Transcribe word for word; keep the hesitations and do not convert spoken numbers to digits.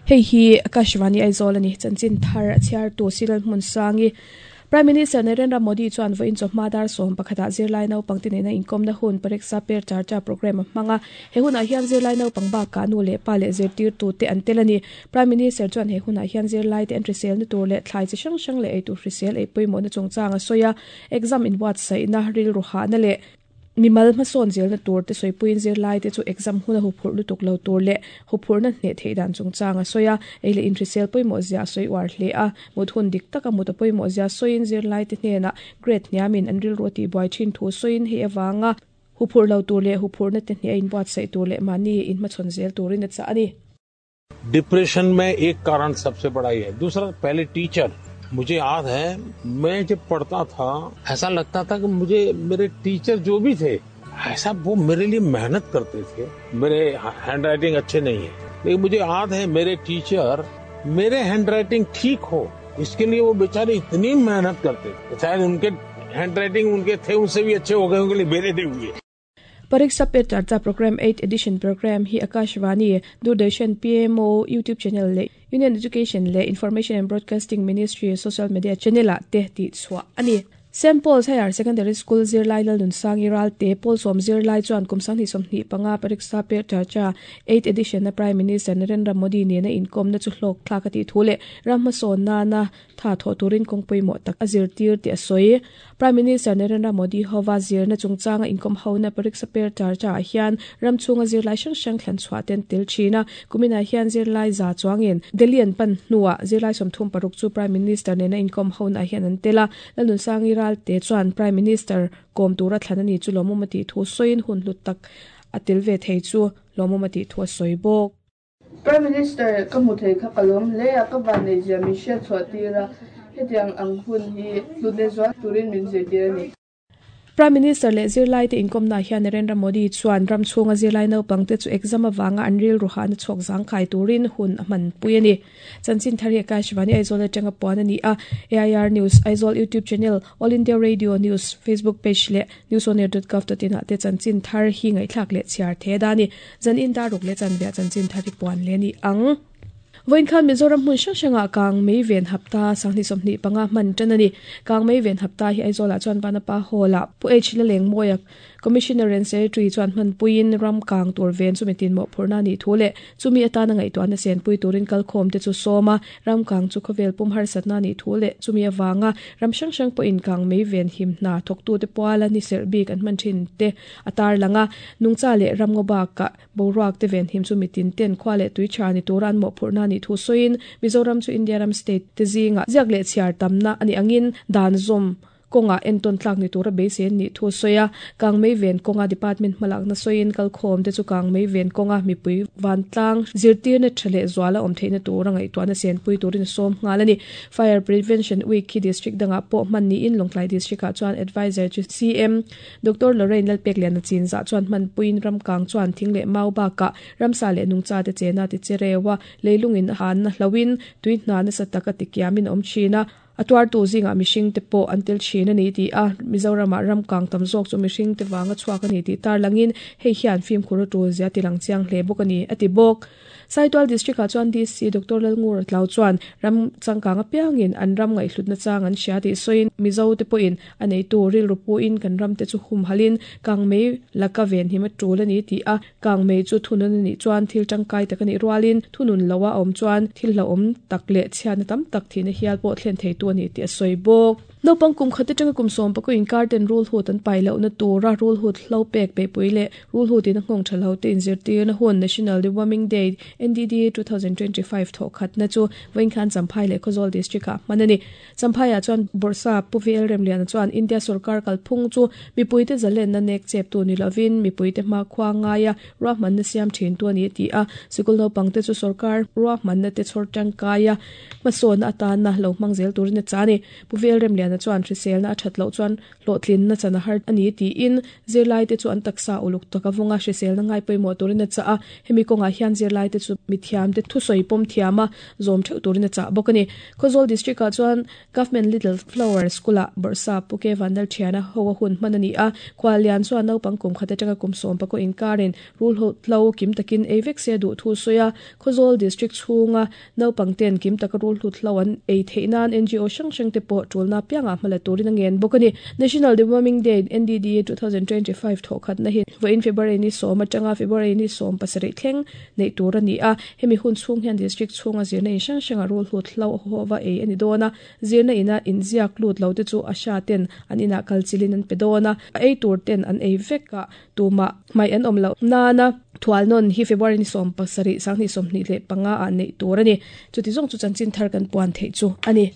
Hei hi Akashvani Aizawl ani chanchin thar chiar tu silal hmun sangi Prime Minister Narendra Modi chuan voin chawhma dar sawm pakhata zirlai naupang te nena inkawmna hun Pariksha Pe Charcha program a hmanga he hunah hian zirlai naupang bakah nu leh pa leh zirtirtu te an tel ani Prime Minister chuan he hunah hian zirlai te an hrisel na tur leh thlai chi hrang hrang leh eitur hrisel ei pawimawh na chungchang a sawi a exam in buatsaihna rilru hahna leh mimal hmasawn zelna tur te sawipuiin zirlai te chu exam huna huphurh lutuk lo tur leh huphurhna hneh theih dan chungchang a sawi a ei leh inhrisel pawimawh zia a sawi uar hle a mut hun dik taka mut a pawimawh zia sawiin zirlai te hnenah grade hniamin an rilru a tihbuai thin thu sawiin hei awanga huphurh lo tur leh huphurhna te hneh a inbuatsaih tur leh mahni inhmachhawn zel turin a chah a ni. Depression में एक कारण सबसे बड़ा ये है। दूसरा, पहले टीचर, मुझे याद है मैं जब पढ़ता था ऐसा लगता था कि मुझे मेरे टीचर जो भी थे ऐसा वो मेरे लिए मेहनत करते थे। मेरे हैंडराइटिंग अच्छे नहीं है, लेकिन मुझे याद है मेरे टीचर मेरे हैंडराइटिंग ठीक हो इसके लिए वो बेचारे इतनी मेहनत करते थे। शायद उनके हैंडराइटिंग उनके थे उनसे भी अच्छे हो गए उनके लिए, मेरे नहीं हुए। Pariksha Pe Charcha Program eighth Edition Program hi Akashvani, Doordarshan, P M O, YouTube channel le Union Education le Information and Broadcasting Ministry social media channel a te ti chhuah ani. Saint Paul's Higher Secondary School zirlai lalun sangi ral te Paul som zirlai chuan kumsang ni somhnih panga Pariksha Pe Charcha eighth Edition na Prime Minister Narendra Modi ne na inkom na chu hlok thlak ati thule ramma son na na tha tho turin kongpui mo tak azir tir ti asoi Prime Minister Narendra Modi howa zir na chungchanga inkom ho na Pariksha Pe Charcha hian ramchunga zirlai hrang hrang thlan chhuah ten tel thina kumina hian zirlai za chuangin Delhi an pan hnuah zirlai sawmthum paruk chu Prime Minister ne na inkom ho na hian an tela lalun sangi ral te chuan Prime Minister kom tura thlan ani chu lomumati thu soin hun hlut tak atil ve thei chu lomumati thu soi bok. Prime Minister ka mu thei kha kalom le a ka van nei zia mi hriat chhuah tira hetiang ang hun hi hlutne zual turin min zirtir ani. Prime Minister le zirlai te inkom na hian Narendra Modi chuan ramchhunga zirlai naupang te chu exam awanga an ril ruha na chhawk zangkhai turin hun a hman pui ani. Chanchin thari Akashvani Aizawl atanga puan ani a A I R News Aizawl YouTube channel All India Radio News Facebook page le newsonair dot gov dot in ah te chanchin thar hi ngaihthlak leh chhiar the dani zan in daruk le chanvia chanchin thari puan le ni ang. Voin khan Mizoram hmun hrang hrangah kang mei ven hapta sanghnih sawmhnih panga hman tan ani. Kang mei ven hapta hi Aizawlah chuan Vanapa Hall-ah Pu H Laleng Mawia Commissioner and Secretary chuan hman puiin ram kang tur ven chumi tin mawh phurna ni thu leh chumi atana ngaihtuahna sen pui turin kalkhawm te chu sawma ram kang chu khawvel pum harsatna ni thu leh chumi awanga ram hrang hrang pawhin kang mei ven him hna thawktu te puala ni serh bik an hman thin te atar langa nungcha leh ramngaw bakah boruak te ven him chumi tin ten khua leh tui tha ni turan mawh phurna ni thu soin Mizoram chu India ram state te zinga ziak leh chhiar tamna ani angin dan zawm konga enton tlak ni tura beisen ni thu soya kang mei ven konga department hmalak na soin kalkhawm te chu kang mei ven konga mipui vantlang zirtir na thale zuala awm theihna tura ngaihtuahna sen pui turin sawm nghal ani. Fire Prevention Week hi district danga pawh hman niin Lawngtlai district ah chuan advisor chu C M Doctor Lorraine Lalpeklian a chinzah chuan hman puiin ramkang chuan thing leh mau bakah ramsa leh nungcha te chena ti cherewa leilungin han na hlawin tui hna nasa taka tikiamin awm thina atuar tu zinga mihring te pawh an tel thin ani ti a Mizoramah ramkang tam zawk chu mihring te wanga chhuak ani tih tar langin hei hian fimkhur a tul zia ti lang chiang hle bawk ani ati bawk. Saitual district ah chuan D C Doctor Lalngur Tlau chuan ram changkang apiangin an ram ngaihhlutna chang an hria tih sawiin Mizo te pawhin a neitu rilru puin kan ram te chu hum halin kang mei laka ven him a tul ani ti a kang mei chu thunun ani chuan thil tangkai tak ani rualin thunun lowa awm chuan thil hlauhawm tak leh chhiatna tam tak thihna hial pawh thlen thei tu ani ti a sawi bawk. Naupang kum khat atanga kum sawm pakua inkar ten rul hut an pai lohna tura rul hut hlo pek pe pui leh rul hut in a nghawng tha lo te inzirtir na hun National Deworming Day N D D twenty twenty-five thawh khatna chu Voinkhan Champhai leh Khawzawl district ah hman ani. Champhai ah chuan Borsa Pu V L Remliana chuan India sarkar kalphung chu mipui te zalen na nek chep tu ni lovin mipui te hma khua ngaia ruahman na siam thin tu ani ti a sikul naupang te chu sarkar ruahman na te chhawr tangkaia hmasawn atana lo hmang zel turin a chani. Pu V L Remliana Lalramliana chuan hriselna a that loh chuan hlawhtlinna chan a har ani tiin zirlai te chu an taksa uluk taka vunga hriselna ngai pawimawh turin a chah a hemi kawngah hian zirlai te chu mithiam te thusawi pawm thiam a zawm theuh turin a chah bawk ani Khawzawl district ah chuan Government Little Flower School ah Bawrhsa Puke Vandal Thiana ho a hun hman ani a khwalian chuan naupang kum khat atanga kum sawm pakua inkarin rul ho hlo kim takin ei vek se duh thu sawi a Khawzawl district chhunga naupang ten kim taka rul hlut hlo an ei theih nan N G O hrang hrang te pawh tulna pianga hmala turin a ngen bawk ani National Deworming Day N D D twenty twenty-five tho khat na hi voin February ni sawm atanga February ni sawm pasarih thleng nei tur ani a hemi hun chhung hian district chhunga zirna in hrang hranga rul hlut hlo howa ei ani dawna zirna ina inziak lut lo te chu a sha ten an ina kalchilin an pe dawna ei tur ten an ei veka tuma mai an awm lo nana thual non hi February ni sawm pasarih sangni sawmhnih leh panga a nei tur ani chuti zawng chu chanchin thar kan puan thei chu ani.